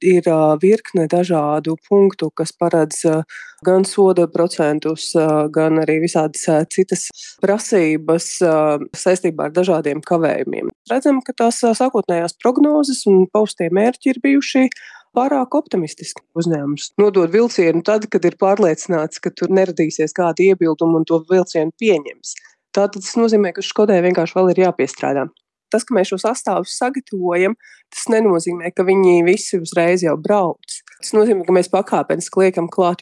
Ir virkne dažādu punktu, kas paredz gan soda procentus, gan arī visādas citas prasības saistībā ar dažādiem kavējumiem. Redzam, ka tās sākotnējās prognozes un paustie mērķi ir bijuši pārāk optimistiski. Uzņēmums nodod vilcienu tad, kad ir pārliecināts, ka tur neradīsies kādi iebildumi un to vilcienu pieņems. Tātad tas nozīmē, ka Škodai vienkārši vēl ir jāpiestrādā. Tas, ka mēs šos sastāvus sagatavojam, tas nenozīmē, ka viņi visi uzreiz jau brauc. Tas nozīmē, ka mēs pakāpeniski liekam klāt